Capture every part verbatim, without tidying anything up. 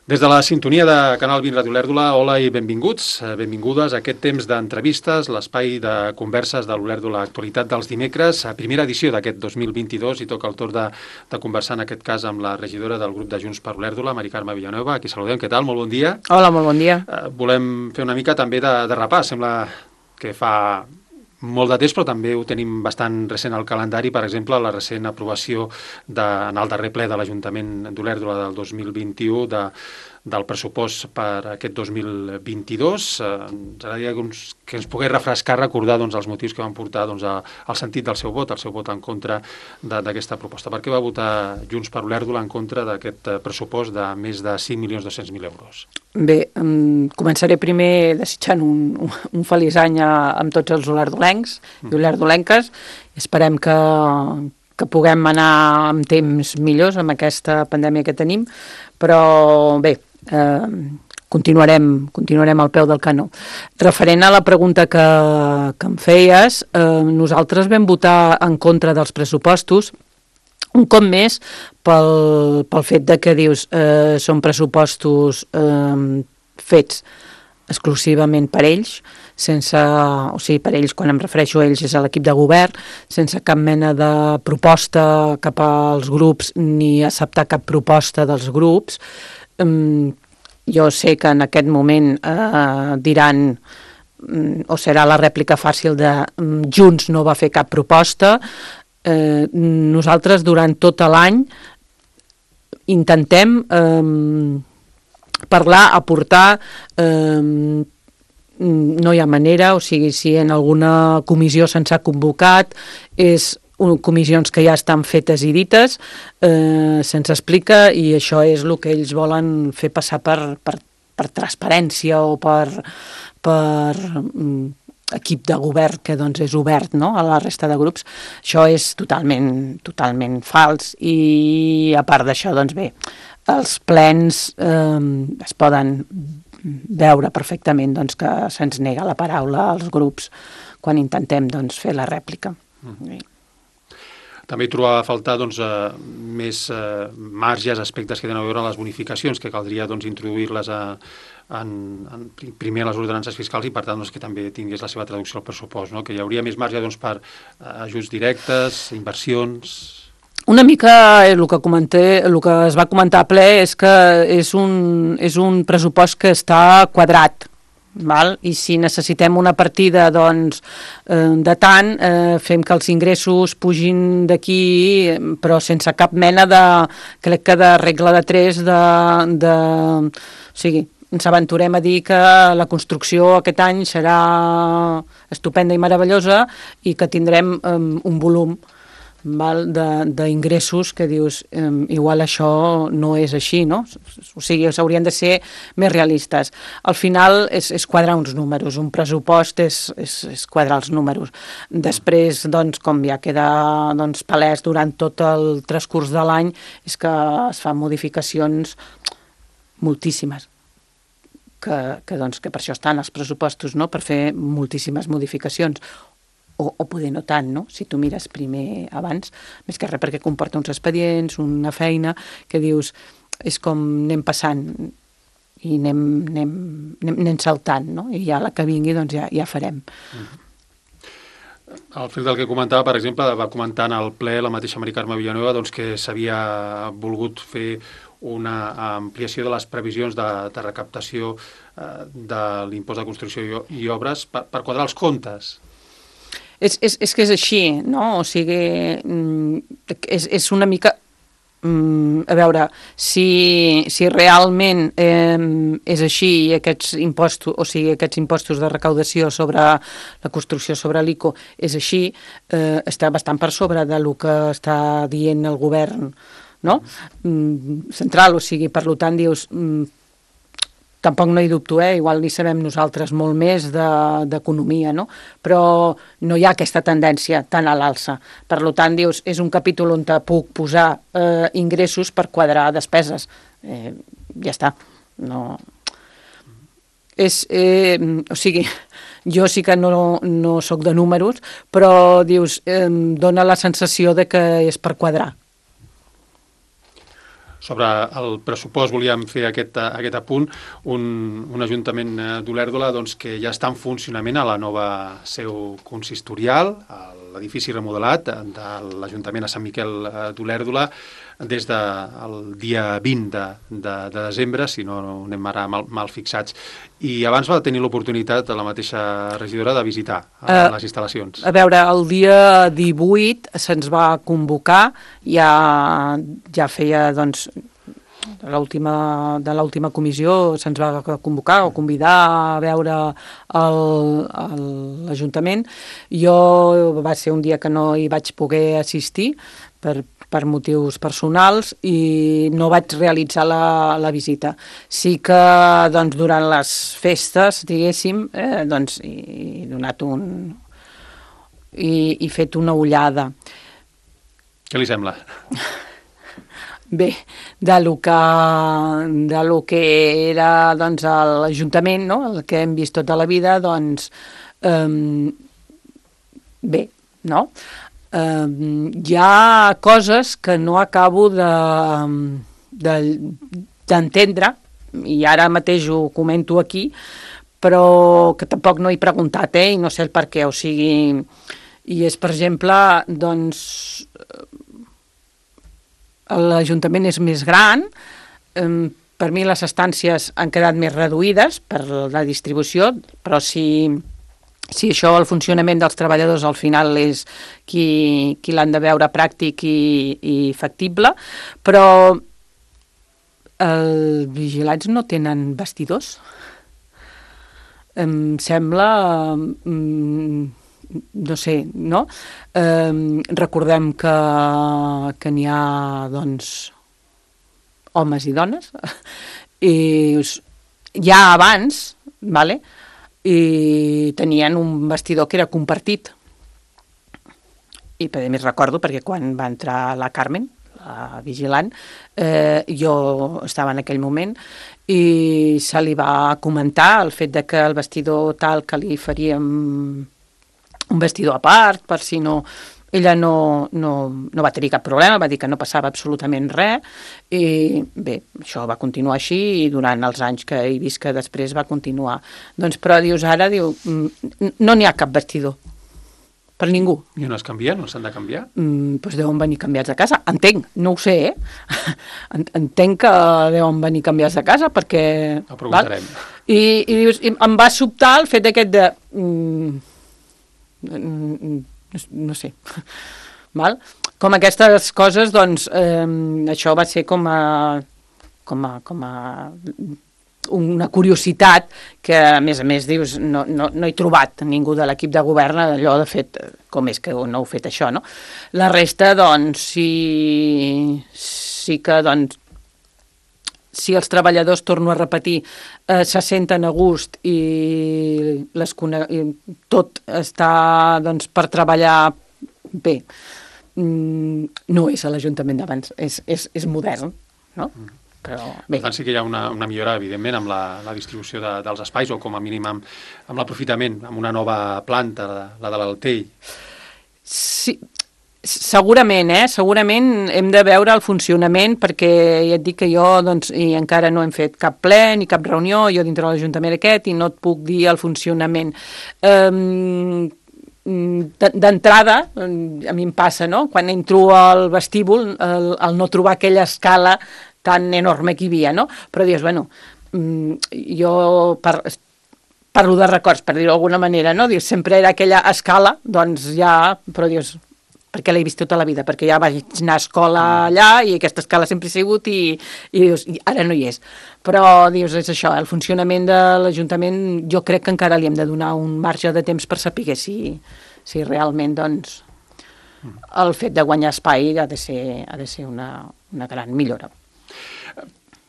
Des de la sintonia de Canal vint Ràdio Olèrdola, hola i benvinguts, benvingudes a aquest temps d'entrevistes, l'espai de converses de l'Olèrdola Actualitat dels dimecres, a primera edició d'aquest dos mil vint-i-dos, i toca el torn de, de conversar en aquest cas amb la regidora del grup de Junts per Olèrdola, Mari Carme Villanueva, a qui saludem. Què tal? Molt bon dia. Hola, molt bon dia. Uh, volem fer una mica també de, de repàs. Sembla que fa molt de temps, però també ho tenim bastant recent al calendari. Per exemple, la recent aprovació de, en el darrer ple de l'Ajuntament d'Olèrdola del dos mil vint-i-u de, del pressupost per aquest dos mil vint-i-dos. Eh, ens agradaria que, uns, que ens pogués refrescar, recordar doncs, els motius que van portar doncs, a, al sentit del seu vot, el seu vot en contra d'aquesta proposta. Per què va votar Junts per Olèrdola en contra d'aquest pressupost de més de cinc milions dos-cents mil euros? Bé, um, començaré primer desitjant un, un, un feliç any a, amb tots els olerdolencs mm. i olerdolenques. Esperem que, que puguem anar amb temps millors amb aquesta pandèmia que tenim, però bé, eh, continuarem, continuarem al peu del canó. Referent a la pregunta que, que em feies, eh, nosaltres vam votar en contra dels pressupostos, un cop més pel, pel fet de que dius eh, són pressupostos eh, fets exclusivament per ells, sense, o sigui, per ells, quan em refereixo a ells és a l'equip de govern, sense cap mena de proposta cap als grups ni acceptar cap proposta dels grups. Um, jo sé que en aquest moment eh, diran um, o serà la rèplica fàcil de um, Junts no va fer cap proposta. Eh, nosaltres durant tot l'any intentem eh, parlar, aportar, eh, no hi ha manera, o sigui, si en alguna comissió se'ns ha convocat, és un, comissions que ja estan fetes i dites, eh, se'ns explica, i això és el que ells volen fer passar per, per, per transparència o per, per equip de govern que doncs és obert, no?, a la resta de grups. Això és totalment, totalment fals, i a part d'això, doncs bé, els plens eh, es poden veure perfectament doncs, que se'ns nega la paraula als grups quan intentem doncs, fer la rèplica. Mm. També hi trobava a faltar doncs, eh, més eh, marges, aspectes que tenen a veure amb les bonificacions, que caldria doncs, introduir-les a, en, en, primer a les ordenances fiscals i per tant doncs, que també tingués la seva traducció al pressupost, no? Que hi hauria més marge doncs, per eh, ajuts directes, inversions. Una mica el que comenté, el que es va comentar a ple és que és un, és un pressupost que està quadrat. Val? I si necessitem una partida doncs, eh, de tant, eh, fem que els ingressos pugin d'aquí, però sense cap mena de, crec que de regla de tres, de, de, o sigui, ens aventurem a dir que la construcció aquest any serà estupenda i meravellosa i que tindrem eh, un volum d'ingressos que dius, eh, igual això no és així, no? O sigui, s'haurien de ser més realistes. Al final és, és quadrar uns números, un pressupost és, és, és quadrar els números. Després, doncs, com ja queda doncs, palès durant tot el transcurs de l'any, és que es fan modificacions moltíssimes. Que, que, doncs, que per això estan els pressupostos, no?, per fer moltíssimes modificacions. O, o poder no tant, no?, si tu mires primer abans, més que res perquè comporta uns expedients, una feina, que dius, és com anem passant i anem, anem, anem, anem saltant, no?, i ja la que vingui doncs ja, ja farem. Al fil del que comentava, per exemple, va comentar en el ple la mateixa Mari Carme Villanueva doncs, que s'havia volgut fer una ampliació de les previsions de, de recaptació eh, de l'impost de construcció i, i obres per, per quadrar els comptes. És, és, és que és així, no? O sigui, és, és una mica... A veure, si, si realment eh, és així i aquests impostos, o sigui, aquests impostos de recaudació sobre la construcció sobre l'I C O és així, eh, està bastant per sobre del que està dient el govern, no? Mm, central, o sigui, per tant, dius... Mm, tampoc no hi dubto, eh? Igual ni sabem nosaltres molt més d'economia, no? Però no hi ha aquesta tendència tan a l'alça. Per tant, dius, és un capítol on te puc posar eh, ingressos per quadrar despeses. Eh, ja està. No... És, eh, o sigui, jo sí que no, no sóc de números, però dius, eh, dona la sensació de que és per quadrar. sobre el pressupost volíem fer aquest, aquest apunt, un, un ajuntament d'Olèrdola doncs, que ja està en funcionament a la nova seu consistorial, a l'edifici remodelat de l'Ajuntament a Sant Miquel d'Olèrdola, des del dia vint de, de, de desembre, si no anem ara mal, mal fixats. I abans va tenir l'oportunitat la mateixa regidora de visitar uh, les instal·lacions. A veure, el dia divuit se'ns va convocar, ja, ja feia, doncs, de l'última de l'última comissió se'ns va convocar o convidar a veure l'Ajuntament. Jo va ser un dia que no hi vaig poder assistir per per motius personals i no vaig realitzar la, la visita. Sí que doncs, durant les festes, diguéssim, eh, doncs, he donat un... i he fet una ullada. Què li sembla? Bé, de lo que, de lo que era doncs, l'Ajuntament, no? El que hem vist tota la vida, doncs, eh, bé, no? Uh, hi ha coses que no acabo de, de, d'entendre, i ara mateix ho comento aquí, però que tampoc no he preguntat, eh, i no sé el per què, o sigui, i és, per exemple, doncs, l'Ajuntament és més gran, um, per mi les estàncies han quedat més reduïdes per la distribució, però si... Si això, el funcionament dels treballadors al final és qui, qui l'han de veure pràctic i, i factible, però els vigilants no tenen vestidors. Em sembla, no sé, no? Eh, recordem que, que n'hi ha, doncs, homes i dones, i ja abans, vale?, i tenien un vestidor que era compartit. I a més recordo perquè quan va entrar la Carmen, la vigilant, eh, jo estava en aquell moment i se li va comentar el fet de que el vestidor tal que li faríem un vestidor a part per si no... Ella no, no, no va tenir cap problema, va dir que no passava absolutament res i bé, això va continuar així i durant els anys que he vist que després va continuar. Doncs però dius ara, diu, no n'hi ha cap vestidor per ningú. I on es canvien? On s'han de canviar? Mm, doncs deuen venir canviats de casa. Entenc, no ho sé, eh? Entenc que deuen venir canviats de casa perquè... Ho preguntarem. I, i dius, i em va sobtar el fet aquest de... Mm, mm, no sé, val? Com aquestes coses, doncs, eh, això va ser com a, com a, com a una curiositat que, a més a més, dius, no, no, no he trobat ningú de l'equip de govern allò de fet, com és que no heu fet això, no? La resta, doncs, sí, sí que, doncs, si els treballadors, torno a repetir, eh, se senten a gust i, les i tot està doncs, per treballar bé, no és a l'Ajuntament d'abans, és, és, és modern, no? Però bé. Per tant, sí que hi ha una, una millora, evidentment, amb la, la distribució de, dels espais o com a mínim amb, amb l'aprofitament, amb una nova planta, la, la de l'Altell. Sí, segurament, eh? Segurament hem de veure el funcionament perquè ja et dic que jo doncs, i encara no hem fet cap ple ni cap reunió, jo dintre de l'Ajuntament aquest, i no et puc dir el funcionament. Um, d'entrada, a mi em passa, no? Quan entro al vestíbul, el, el no trobar aquella escala tan enorme que hi havia, no? Però dius, bueno, jo per, parlo de records, per dir-ho d'alguna manera, no? Dius, sempre era aquella escala, doncs ja, però dius, perquè l'he vist tota la vida, perquè ja vaig anar a escola allà i aquesta escala sempre ha sigut i, i dius, ara no hi és. Però, dius, és això, el funcionament de l'Ajuntament jo crec que encara li hem de donar un marge de temps per saber si, si realment, doncs, el fet de guanyar espai ha de ser, ha de ser una, una gran millora.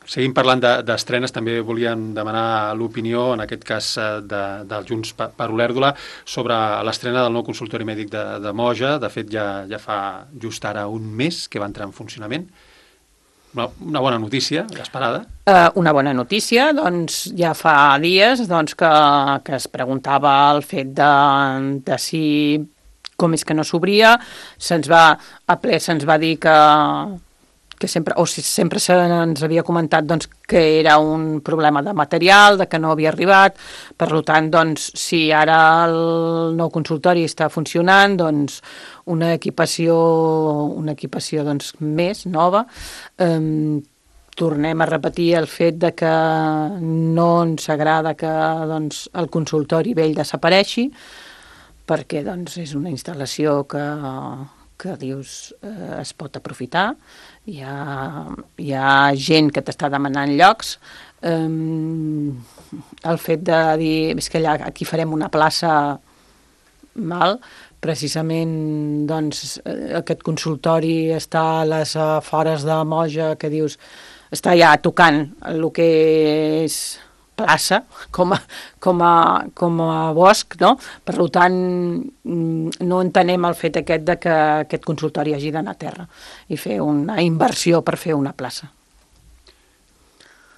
Seguim parlant d'estrenes, també volíem demanar l'opinió, en aquest cas de, del Junts per Olèrdola, sobre l'estrena del nou consultori mèdic de, de Moja. De fet, ja, ja fa just ara un mes que va entrar en funcionament. Una, una bona notícia, esperada. Uh, una bona notícia, doncs ja fa dies doncs, que, que es preguntava el fet de, de si com és que no s'obria. Se'ns va, a ple se'ns va dir que que sempre, o si sempre se'ns havia comentat doncs, que era un problema de material, de que no havia arribat, per tant, doncs, si ara el nou consultori està funcionant, doncs una equipació, una equipació doncs, més nova, eh, tornem a repetir el fet de que no ens agrada que doncs, el consultori vell desapareixi, perquè doncs, és una instal·lació que, que dius eh, es pot aprofitar. Hi ha, hi ha gent que t'està demanant llocs. Um, el fet de dir és que allà, aquí farem una plaça mal, precisament doncs, aquest consultori està a les afores de Moja, que dius està ja tocant el que és plaça, com a, com a, com a bosc, no? Per tant, no entenem el fet aquest de que aquest consultori hagi d'anar a terra i fer una inversió per fer una plaça.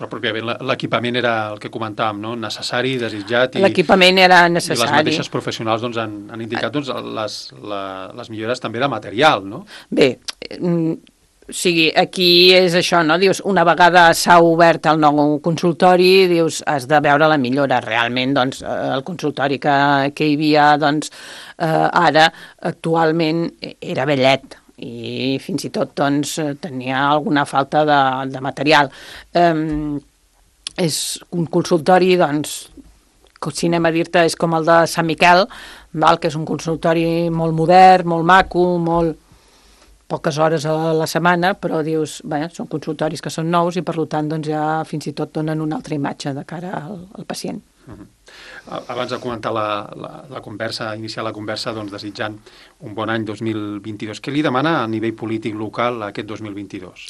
Però pròpiament l'equipament era el que comentàvem, no? Necessari, desitjat, i l'equipament era necessari. I les mateixes professionals doncs, han, han indicat doncs, les, la, les millores també de material, no? Bé, o sigui, aquí és això, no? Dius, una vegada s'ha obert el nou consultori, dius, has de veure la millora. Realment, doncs, el consultori que, que hi havia, doncs, eh, ara, actualment, era vellet i fins i tot, doncs, tenia alguna falta de, de material. Eh, és un consultori, doncs, si anem a dir-te, és com el de Sant Miquel, val? Que és un consultori molt modern, molt maco, molt poques hores a la setmana, però dius, bé, són consultoris que són nous i per tant doncs, ja fins i tot donen una altra imatge de cara al, al pacient. Uh-huh. Abans de comentar la, la, la conversa, iniciar la conversa, doncs, desitjant un bon any dos mil vint-i-dos. Què li demana a nivell polític local aquest dos mil vint-i-dos?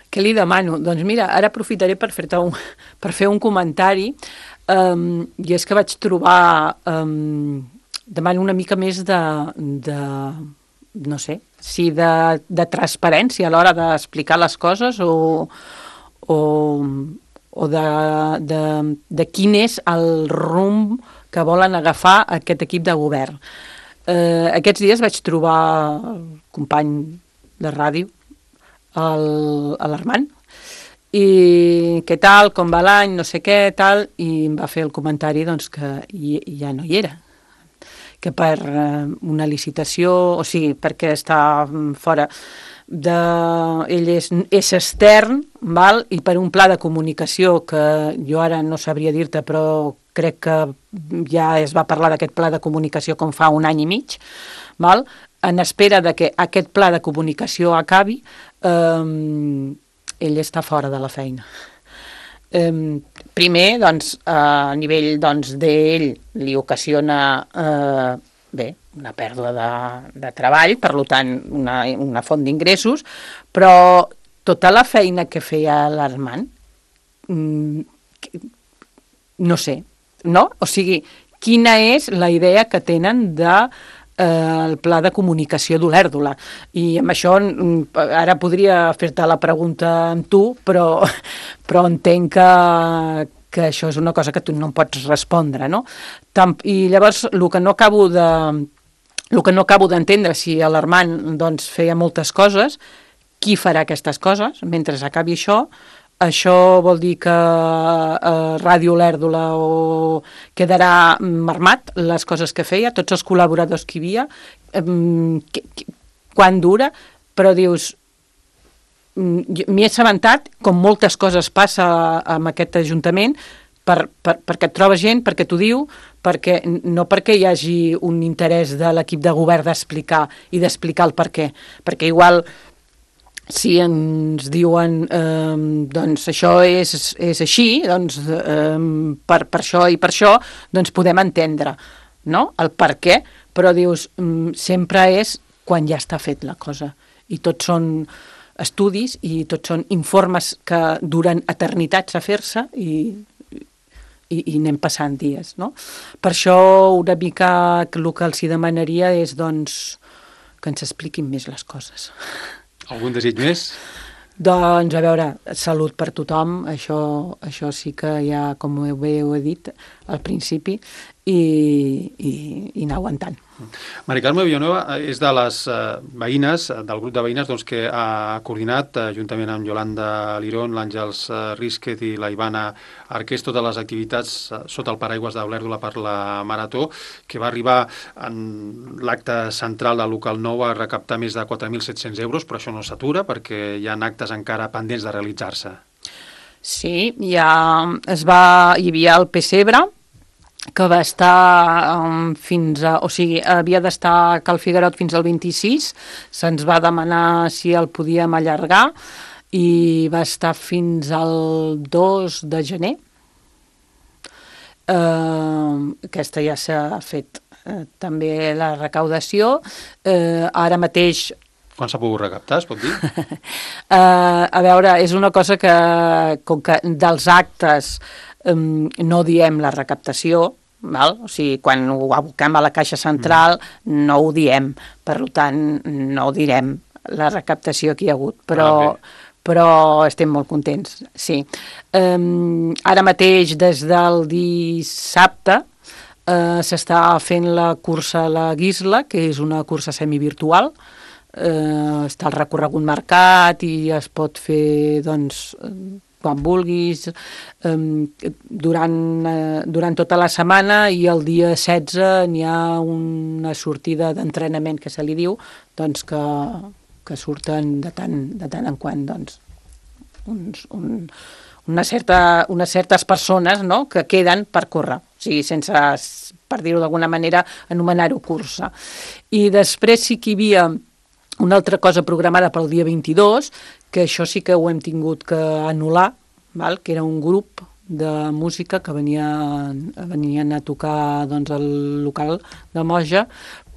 Què li demano? Doncs mira, ara aprofitaré per fer-te un, per fer un comentari, um, i és que vaig trobar, um, demano una mica més de, de no sé, si de, de transparència a l'hora d'explicar les coses o, o, o de, de, de quin és el rumb que volen agafar aquest equip de govern. Eh, aquests dies vaig trobar el company de ràdio, l'Armand, i què tal, com va l'any, no sé què, tal, i em va fer el comentari doncs, que ja no hi era, que per una licitació, o sigui, perquè està fora de... Ell és, és extern, val? I per un pla de comunicació que jo ara no sabria dir-te, però crec que ja es va parlar d'aquest pla de comunicació com fa un any i mig, val? En espera de que aquest pla de comunicació acabi, eh, ell està fora de la feina. Um, primer, doncs, a nivell doncs, d'ell li ocasiona eh, bé, una pèrdua de, de treball, per tant, una, una font d'ingressos, però tota la feina que feia l'Armand, mm, no sé, no? O sigui, quina és la idea que tenen de el pla de comunicació d'Olèrdola. I amb això ara podria fer-te la pregunta amb tu, però, però entenc que, que això és una cosa que tu no em pots respondre, no? I llavors el que no acabo de el que no acabo d'entendre, si l'Armand doncs, feia moltes coses, qui farà aquestes coses mentre acabi això? Això vol dir que eh, Ràdio Olèrdola o quedarà marmat les coses que feia, tots els col·laboradors que hi havia, eh, que, que, quan dura, però dius, m'hi he assabentat, com moltes coses passa amb aquest ajuntament, per, per, perquè et trobes gent, perquè t'ho diu, perquè, no perquè hi hagi un interès de l'equip de govern d'explicar i d'explicar el per què, perquè igual si ens diuen eh, doncs això és, és així, doncs eh, per, per això i per això, doncs podem entendre, no?, el per què, però dius, sempre és quan ja està fet la cosa. I tots són estudis i tots són informes que duren eternitats a fer-se i, i, i anem passant dies, no? Per això una mica el que els demanaria és, doncs, que ens expliquin més les coses. Algun desig més? Doncs, a veure, salut per tothom, això, això sí que ja, com bé ho he dit al principi, i, i, i anar aguantant. Mari Carme Villanueva és de les eh, veïnes, del grup de veïnes doncs, que ha coordinat, eh, juntament amb Yolanda Lirón, l'Àngels eh, Rizquez i la Ivana Arqués, totes les activitats eh, sota el paraigües d'Olèrdola per la Marató, que va arribar en l'acte central del local nou a recaptar més de quatre mil set-cents euros, però això no s'atura perquè hi ha actes encara pendents de realitzar-se. Sí, ja es va, hi havia el Pessebre, que va estar um, fins a... O sigui, havia d'estar a Cal Figuerot fins al vint-i-sis, se'ns va demanar si el podíem allargar i va estar fins al dos de gener. Uh, aquesta ja s'ha fet uh, també la recaudació. Uh, ara mateix... Quan s'ha pogut recaptar, es pot dir? uh, a veure, és una cosa que, com que dels actes um, no diem la recaptació, val? O sigui, quan ho aboquem a la caixa central mm. no ho diem, per tant no ho direm la recaptació que hi ha hagut, però, ah, però estem molt contents, sí. Um, ara mateix, des del dissabte, uh, s'està fent la cursa a la Guisla, que és una cursa semivirtual. Uh, està el recorregut marcat i es pot fer, doncs, quan vulguis, um, durant, uh, durant tota la setmana, i el dia setze n'hi ha una sortida d'entrenament que se li diu, doncs que, que surten de tant, de tant en quant, doncs, uns, un, una certa, unes certes persones, no?, que queden per córrer, o sigui, sense, per dir-ho d'alguna manera, anomenar-ho cursa. I després sí que hi havia una altra cosa programada pel dia vint-i-dos, que això sí que ho hem tingut que anul·lar, val? Que era un grup de música que venien, venien a tocar, doncs, al local de Moja,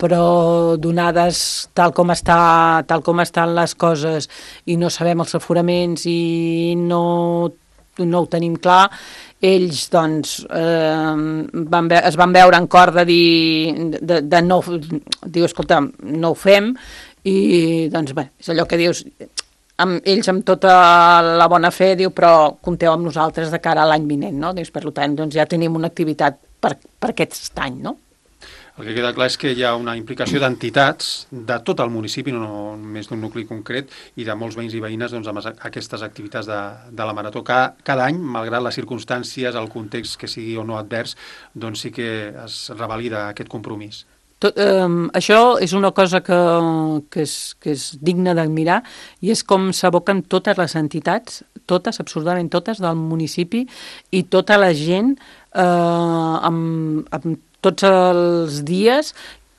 però donades tal com, està, tal com estan les coses i no sabem els aforaments i no, no ho tenim clar, ells, doncs, eh, van ve es van veure en cor de dir, de, de no, diu, escolta, no ho fem, i doncs bé, és allò que dius, amb ells amb tota la bona fe, diu, però compteu amb nosaltres de cara a l'any vinent, no? Dius, per tant, doncs ja tenim una activitat per, per aquest any, no? El que queda clar és que hi ha una implicació d'entitats de tot el municipi, no només d'un nucli concret, i de molts veïns i veïnes, doncs, amb aquestes activitats de, de la Marató. Cada, cada any, malgrat les circumstàncies, el context que sigui o no advers, doncs sí que es revalida aquest compromís. Tot, eh, això és una cosa que, que, és, que és digna d'admirar, i és com s'aboquen totes les entitats, totes, absolutament totes, del municipi, i tota la gent eh, amb, amb tots els dies,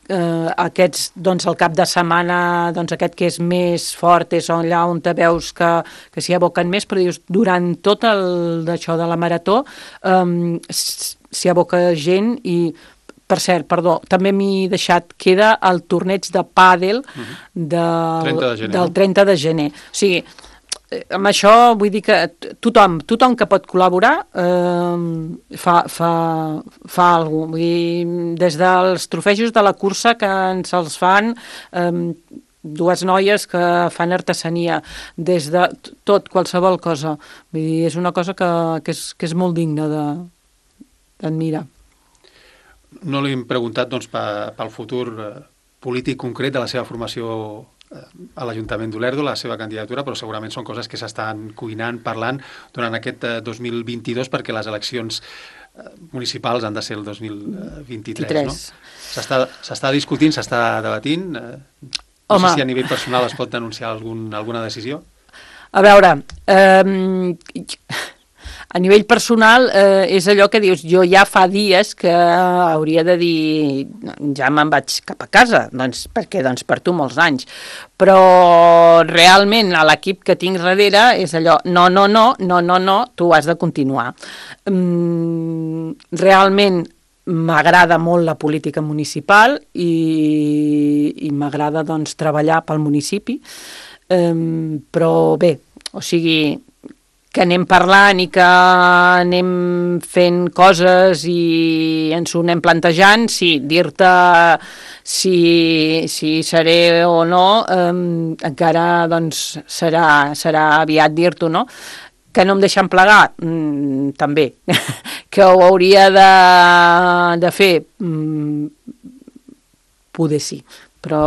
eh, aquests, doncs, el cap de setmana, doncs, aquest que és més fort és allà on te veus que, que s'hi aboquen més, però dius, durant tot el d'això de la Marató eh, s'hi aboca gent. I per cert, perdó, també m'he deixat, queda el torneig de pàdel del, trenta de gener, del no? trenta de gener. O sigui, amb això vull dir que tothom, tothom que pot col·laborar eh, fa, fa, fa alguna cosa. Vull dir, des dels trofejos de la cursa que ens els fan eh, dues noies que fan artesania, des de tot, qualsevol cosa. Vull dir, és una cosa que, que, és, que és molt digna d'admirar. No li hem preguntat, doncs, pel futur polític concret de la seva formació a l'Ajuntament d'Olèrdola, la seva candidatura, però segurament són coses que s'estan cuinant, parlant durant aquest dos mil vint-i-dos, perquè les eleccions municipals han de ser el dos mil vint-i-tres, no? S'està discutint, s'està debatint. No Home. sé si a nivell personal es pot denunciar algun, alguna decisió. A veure, eh, a nivell personal eh, és allò que dius, jo ja fa dies que hauria de dir, ja me'n vaig cap a casa, doncs perquè doncs, per tu molts anys, però realment a l'equip que tinc darrere és allò, no, no, no, no, no, no, tu has de continuar. Mm, realment m'agrada molt la política municipal i, i m'agrada, doncs, treballar pel municipi, eh, però bé, o sigui, que anem parlant i que anem fent coses i ens ho anem plantejant, sí, dir-te si, si seré o no, eh, encara doncs, serà, serà aviat dir-t'ho, no? Que no em deixen plegar? Mm, també. Que ho hauria de, de fer? Mm, poder sí, però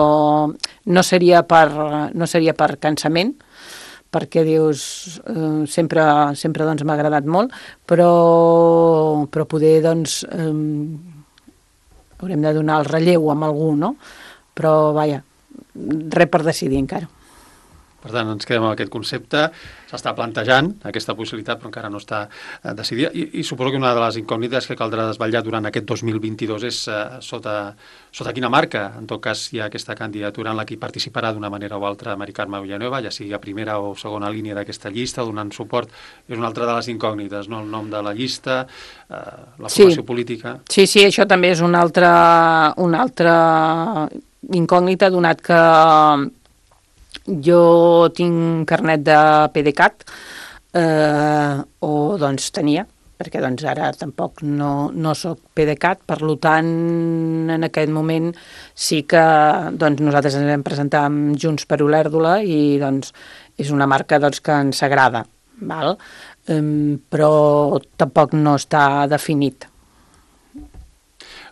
no seria per, no seria per cansament, perquè dius, eh, sempre, sempre doncs, m'ha agradat molt, però, però poder doncs, eh, haurem de donar el relleu amb algú, no? Però, vaja, res per decidir encara. Per tant, ens quedem amb aquest concepte, s'està plantejant aquesta possibilitat, però encara no està eh, decidida, I, i suposo que una de les incògnites que caldrà desvetllar durant aquest dos mil vint-i-dos és eh, sota, sota quina marca, en tot cas, hi ha aquesta candidatura en la que hi participarà d'una manera o altra Mari Carme Villanueva, ja sigui a primera o segona línia d'aquesta llista, donant suport, és una altra de les incògnites, no? El nom de la llista, eh, la formació sí. política... Sí, sí, això també és una altra, una altra incògnita, donat que jo tinc carnet de PDeCAT, eh, o doncs tenia, perquè doncs ara tampoc no, no soc PDeCAT, per tant, en aquest moment sí que doncs, nosaltres ens vam presentar amb Junts per Olèrdola i doncs és una marca doncs, que ens agrada, val? Um, però tampoc no està definit.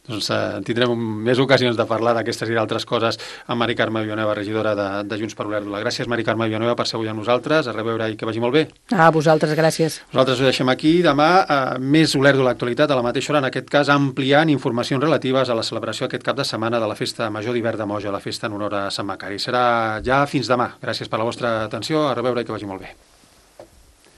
Doncs eh, tindrem més ocasions de parlar d'aquestes i d'altres coses amb Mari Carme Villanueva, regidora de, de Junts per Olèrdola. Gràcies, Mari Carme Villanueva, per ser avui amb nosaltres. A reveure i que vagi molt bé. A vosaltres, gràcies. Nosaltres ho deixem aquí. Demà, eh, més Olèrdola Actualitat, a la mateixa hora, en aquest cas, ampliant informacions relatives a la celebració aquest cap de setmana de la Festa Major d'Hivern de Moja, la festa en honor a Sant Macari. Serà ja fins demà. Gràcies per la vostra atenció. A reveure i que vagi molt bé.